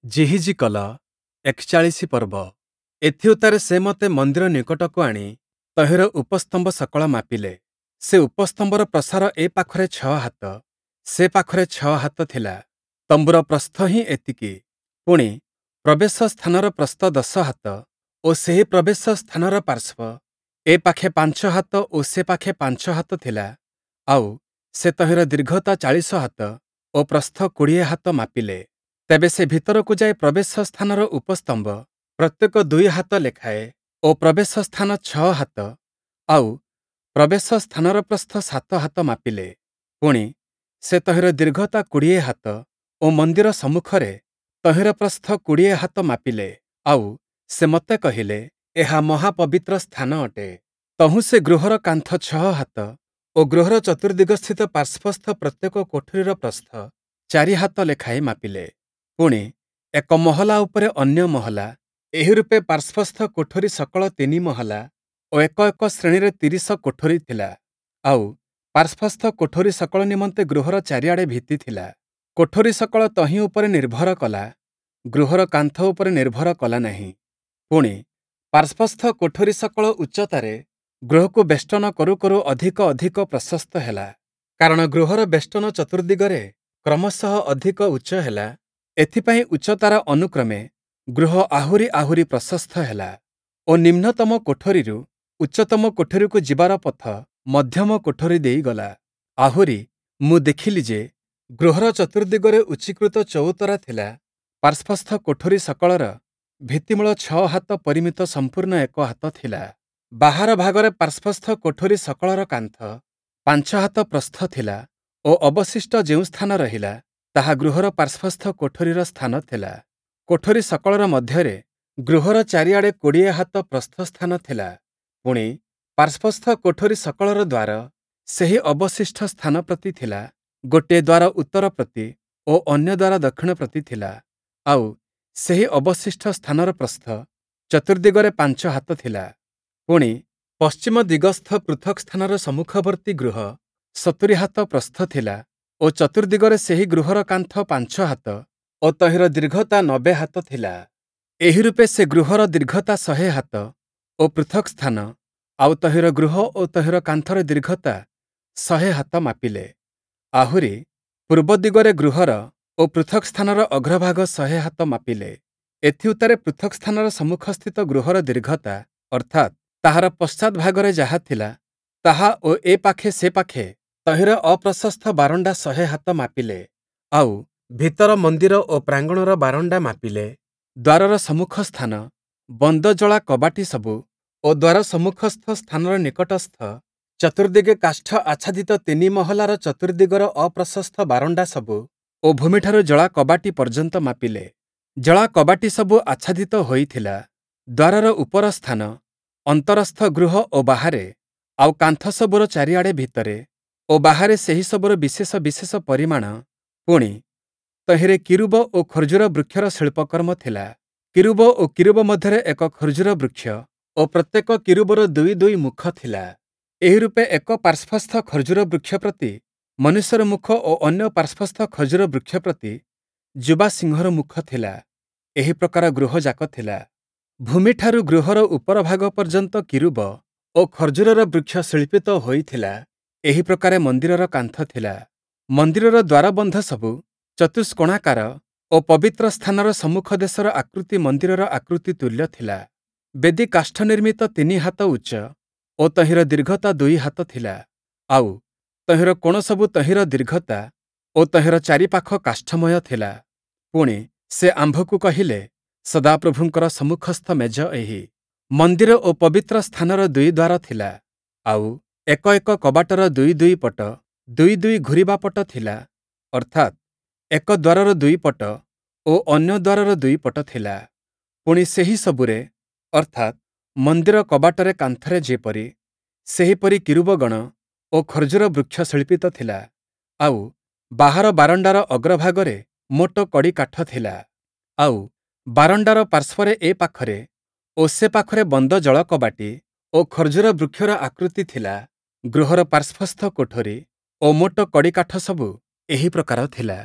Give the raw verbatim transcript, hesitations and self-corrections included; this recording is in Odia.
ଯିହିଜିକଲ ଏକଚାଳିଶି ପର୍ବ। ଏଥିଉତ୍ତାରେ ସେ ମୋତେ ମନ୍ଦିର ନିକଟକୁ ଆଣି ତହିଁର ଉପସ୍ତମ୍ଭ ସକଳ ମାପିଲେ। ସେ ଉପସ୍ତମ୍ଭର ପ୍ରସାର ଏ ପାଖରେ ଛଅ ହାତ, ସେ ପାଖରେ ଛଅ ହାତ ଥିଲା। ତମ୍ବୁର ପ୍ରସ୍ଥ ହିଁ ଏତିକି। ପୁଣି, ପ୍ରବେଶ ସ୍ଥାନର ପ୍ରସ୍ଥ ଦଶ ହାତ ଓ ସେହି ପ୍ରବେଶ ସ୍ଥାନର ପାର୍ଶ୍ୱ ଏ ପାଖେ ପାଞ୍ଚ ହାତ ଓ ସେ ପାଖେ ପାଞ୍ଚ ହାତ ଥିଲା। ଆଉ, ସେ ତହିଁର ଦୀର୍ଘତା ଚାଳିଶ ହାତ ଓ ପ୍ରସ୍ଥ କୋଡ଼ିଏ ହାତ ମାପିଲେ। ତେବେ ସେ ଭିତରକୁ ଯାଇ ପ୍ରବେଶ ସ୍ଥାନର ଉପସ୍ତମ୍ଭ ପ୍ରତ୍ୟେକ ଦୁଇ ହାତ ଲେଖାଏଁ ଓ ପ୍ରବେଶ ସ୍ଥାନ ଛଅ ହାତ, ଆଉ ପ୍ରବେଶ ସ୍ଥାନର ପ୍ରସ୍ଥ ସାତ ହାତ ମାପିଲେ। ପୁଣି, ସେ ତହିଁର ଦୀର୍ଘତା କୋଡ଼ିଏ ହାତ ଓ ମନ୍ଦିର ସମ୍ମୁଖରେ ତହିଁର ପ୍ରସ୍ଥ କୋଡ଼ିଏ ହାତ ମାପିଲେ। ଆଉ, ସେ ମୋତେ କହିଲେ, ଏହା ମହାପବିତ୍ର ସ୍ଥାନ ଅଟେ। ତହୁଁ ସେ ଗୃହର କାନ୍ଥ ଛଅ ହାତ ଓ ଗୃହର ଚତୁର୍ଦ୍ଦିଗସ୍ଥିତ ପାର୍ଶ୍ୱସ୍ଥ ପ୍ରତ୍ୟେକ କୋଠରିର ପ୍ରସ୍ଥ ଚାରି ହାତ ଲେଖାଏଁ ମାପିଲେ। ପୁଣି, ଏକ ମହଲା ଉପରେ ଅନ୍ୟ ମହଲା, ଏହିରୂପେ ପାର୍ଶ୍ୱସ୍ଥ କୋଠରି ସକଳ ତିନି ମହଲା ଓ ଏକ ଏକ ଶ୍ରେଣୀରେ ତିରିଶ କୋଠରି ଥିଲା। ଆଉ, ପାର୍ଶ୍ୱସ୍ଥ କୋଠରି ସକଳ ନିମନ୍ତେ ଗୃହର ଚାରିଆଡ଼େ ଭିତ୍ତି ଥିଲା। କୋଠରି ସକଳ ତହିଁ ଉପରେ ନିର୍ଭର କଲା, ଗୃହର କାନ୍ଥ ଉପରେ ନିର୍ଭର କଲା ନାହିଁ। ପୁଣି, ପାର୍ଶ୍ୱସ୍ଥ କୋଠରି ସକଳ ଉଚ୍ଚତାରେ ଗୃହକୁ ବେଷ୍ଟନ କରୁ କରୁ ଅଧିକ ଅଧିକ ପ୍ରଶସ୍ତ ହେଲା। କାରଣ ଗୃହର ବେଷ୍ଟନ ଚତୁର୍ଦ୍ଦିଗରେ କ୍ରମଶଃ ଅଧିକ ଉଚ୍ଚ ହେଲା, ଏଥିପାଇଁ ଉଚ୍ଚତାର ଅନୁକ୍ରମେ ଗୃହ ଆହୁରି ଆହୁରି ପ୍ରଶସ୍ତ ହେଲା ଓ ନିମ୍ନତମ କୋଠରିରୁ ଉଚ୍ଚତମ କୋଠରିକୁ ଯିବାର ପଥ ମଧ୍ୟମ କୋଠରି ଦେଇ ଗଲା। ଆହୁରି ମୁଁ ଦେଖିଲି ଯେ, ଗୃହର ଚତୁର୍ଦ୍ଦିଗରେ ଉଚ୍ଚୀକୃତ ଚଉତରା ଥିଲା। ପାର୍ଶ୍ୱସ୍ଥ କୋଠରି ସକଳର ଭିତ୍ତିମୂଳ ଛଅ ହାତ ପରିମିତ ସମ୍ପୂର୍ଣ୍ଣ ଏକ ହାତ ଥିଲା। ବାହାର ଭାଗରେ ପାର୍ଶ୍ୱସ୍ଥ କୋଠରି ସକଳର କାନ୍ଥ ପାଞ୍ଚ ହାତ ପ୍ରସ୍ଥ ଥିଲା ଓ ଅବଶିଷ୍ଟ ଯେଉଁ ସ୍ଥାନ ରହିଲା, ତାହା ଗୃହର ପାର୍ଶ୍ୱସ୍ଥ କୋଠରିର ସ୍ଥାନ ଥିଲା। କୋଠରି ସକଳର ମଧ୍ୟରେ ଗୃହର ଚାରିଆଡ଼େ କୋଡ଼ିଏ ହାତ ପ୍ରସ୍ଥ ସ୍ଥାନ ଥିଲା। ପୁଣି, ପାର୍ଶ୍ୱସ୍ଥ କୋଠରି ସକଳର ଦ୍ୱାର ସେହି ଅବଶିଷ୍ଟ ସ୍ଥାନ ପ୍ରତି ଥିଲା। ଗୋଟିଏ ଦ୍ୱାର ଉତ୍ତର ପ୍ରତି ଓ ଅନ୍ୟ ଦ୍ୱାର ଦକ୍ଷିଣ ପ୍ରତି ଥିଲା। ଆଉ, ସେହି ଅବଶିଷ୍ଟ ସ୍ଥାନର ପ୍ରସ୍ଥ ଚତୁର୍ଦ୍ଦିଗରେ ପାଞ୍ଚ ହାତ ଥିଲା। ପୁଣି, ପଶ୍ଚିମ ଦିଗସ୍ଥ ପୃଥକ୍ ସ୍ଥାନର ସମ୍ମୁଖବର୍ତ୍ତୀ ଗୃହ ସତୁରି ହାତ ପ୍ରସ୍ଥ ଥିଲା ଓ ଚତୁର୍ଦ୍ଦିଗରେ ସେହି ଗୃହର କାନ୍ଥ ପାଞ୍ଚ ହାତ ଓ ତହିଁର ଦୀର୍ଘତା ନବେ ହାତ ଥିଲା। ଏହିରୂପେ ସେ ଗୃହର ଦୀର୍ଘତା ଶହେ ହାତ ଓ ପୃଥକ୍ ସ୍ଥାନ, ଆଉ ତହିଁର ଗୃହ ଓ ତହିଁର କାନ୍ଥର ଦୀର୍ଘତା ଶହେ ହାତ ମାପିଲେ। ଆହୁରି, ପୂର୍ବ ଦିଗରେ ଗୃହର ଓ ପୃଥକ୍ ସ୍ଥାନର ଅଗ୍ରଭାଗ ଶହେ ହାତ ମାପିଲେ। ଏଥିଉତ୍ତାରେ ପୃଥକ୍ ସ୍ଥାନର ସମ୍ମୁଖସ୍ଥିତ ଗୃହର ଦୀର୍ଘତା, ଅର୍ଥାତ୍, ତାହାର ପଶ୍ଚାଦ୍ଭାଗରେ ଯାହା ଥିଲା, ତାହା ଓ ଏ ପାଖେ ସେ ପାଖେ ତହିଁର ଅପ୍ରଶସ୍ତ ବାରଣ୍ଡା ଶହେ ହାତ ମାପିଲେ। ଆଉ, ଭିତର ମନ୍ଦିର ଓ ପ୍ରାଙ୍ଗଣର ବାରଣ୍ଡା ମାପିଲେ। ଦ୍ୱାରର ସମ୍ମୁଖ ସ୍ଥାନ, ବନ୍ଦ ଜଳା କବାଟି ସବୁ ଓ ଦ୍ୱାର ସମ୍ମୁଖସ୍ଥ ସ୍ଥାନର ନିକଟସ୍ଥ ଚତୁର୍ଦ୍ଦିଗେ କାଷ୍ଠ ଆଚ୍ଛାଦିତ ତିନି ମହଲାର ଚତୁର୍ଦ୍ଦିଗର ଅପ୍ରଶସ୍ତ ବାରଣ୍ଡା ସବୁ ଓ ଭୂମିଠାରୁ ଜଳା କବାଟି ପର୍ଯ୍ୟନ୍ତ ମାପିଲେ। ଜଳା କବାଟି ସବୁ ଆଚ୍ଛାଦିତ ହୋଇଥିଲା। ଦ୍ୱାରର ଉପର ସ୍ଥାନ, ଅନ୍ତରସ୍ଥ ଗୃହ ଓ ବାହାରେ, ଆଉ କାନ୍ଥ ସବୁର ଚାରିଆଡ଼େ ଭିତରେ ଓ ବାହାରେ ସେହି ସବୁର ବିଶେଷ ବିଶେଷ ପରିମାଣ, ପୁଣି, ତହିଁରେ କିରୂବ ଓ ଖର୍ଜୁର ବୃକ୍ଷର ଶିଳ୍ପକର୍ମ ଥିଲା। କିରୂବ ଓ କିରୂବ ମଧ୍ୟରେ ଏକ ଖର୍ଜୁର ବୃକ୍ଷ ଓ ପ୍ରତ୍ୟେକ କିରୂବର ଦୁଇ ଦୁଇ ମୁଖ ଥିଲା। ଏହିରୂପେ ଏକ ପାର୍ଶ୍ୱସ୍ଥ ଖର୍ଜୁର ବୃକ୍ଷ ପ୍ରତି ମନୁଷ୍ୟର ମୁଖ ଓ ଅନ୍ୟ ପାର୍ଶ୍ୱସ୍ଥ ଖର୍ଜୁର ବୃକ୍ଷ ପ୍ରତି ଯୁବା ସିଂହର ମୁଖ ଥିଲା। ଏହି ପ୍ରକାର ଗୃହଯାକ ଥିଲା। ଭୂମିଠାରୁ ଗୃହର ଉପର ଭାଗ ପର୍ଯ୍ୟନ୍ତ କିରୂବ ଓ ଖର୍ଜୁରର ବୃକ୍ଷ ଶିଳ୍ପିତ ହୋଇଥିଲା। ଏହି ପ୍ରକାରେ ମନ୍ଦିରର କାନ୍ଥ ଥିଲା। ମନ୍ଦିରର ଦ୍ୱାରବନ୍ଧ ସବୁ ଚତୁଷ୍କୋଣାକାର ଓ ପବିତ୍ର ସ୍ଥାନର ସମ୍ମୁଖ ଦେଶର ଆକୃତି ମନ୍ଦିରର ଆକୃତି ତୁଲ୍ୟ ଥିଲା। ବେଦି କାଷ୍ଠ ନିର୍ମିତ ତିନି ହାତ ଉଚ୍ଚ ଓ ତହିଁର ଦୀର୍ଘତା ଦୁଇ ହାତ ଥିଲା। ଆଉ, ତହିଁର କୋଣ ସବୁ ତହିଁର ଦୀର୍ଘତା ଓ ତହିଁର ଚାରିପାଖ କାଷ୍ଠମୟ ଥିଲା। ପୁଣି, ସେ ଆମ୍ଭକୁ କହିଲେ, ସଦାପ୍ରଭୁଙ୍କର ସମ୍ମୁଖସ୍ଥ ମେଜ ଏହି। ମନ୍ଦିର ଓ ପବିତ୍ର ସ୍ଥାନର ଦୁଇ ଦ୍ୱାର ଥିଲା। ଆଉ, ଏକ ଏକ କବାଟର ଦୁଇ ଦୁଇ ପଟ, ଦୁଇ ଦୁଇ ଘୂରିବା ପଟ ଥିଲା, ଅର୍ଥାତ୍, ଏକ ଦ୍ୱାରର ଦୁଇ ପଟ ଓ ଅନ୍ୟ ଦ୍ୱାରର ଦୁଇ ପଟ ଥିଲା। ପୁଣି ସେହି ସବୁରେ, ଅର୍ଥାତ୍, ମନ୍ଦିର କବାଟରେ କାନ୍ଥରେ ଯେପରି, ସେହିପରି କିରୂବଗଣ ଓ ଖର୍ଜୁର ବୃକ୍ଷ ଶିଳ୍ପିତ ଥିଲା। ଆଉ, ବାହାର ବାରଣ୍ଡାର ଅଗ୍ରଭାଗରେ ମୋଟ କଡ଼ି କାଠ ଥିଲା। ଆଉ, ବାରଣ୍ଡାର ପାର୍ଶ୍ୱରେ ଏ ପାଖରେ ଓ ସେ ପାଖରେ ବନ୍ଦ ଜଳକବାଟି ଓ ଖର୍ଜୁର ବୃକ୍ଷର ଆକୃତି ଥିଲା। ଗୃହର ପାର୍ଶ୍ୱସ୍ଥ କୋଠରି ଓ ମୋଟ କଡ଼ି କାଠ ସବୁ ଏହି ପ୍ରକାର ଥିଲା।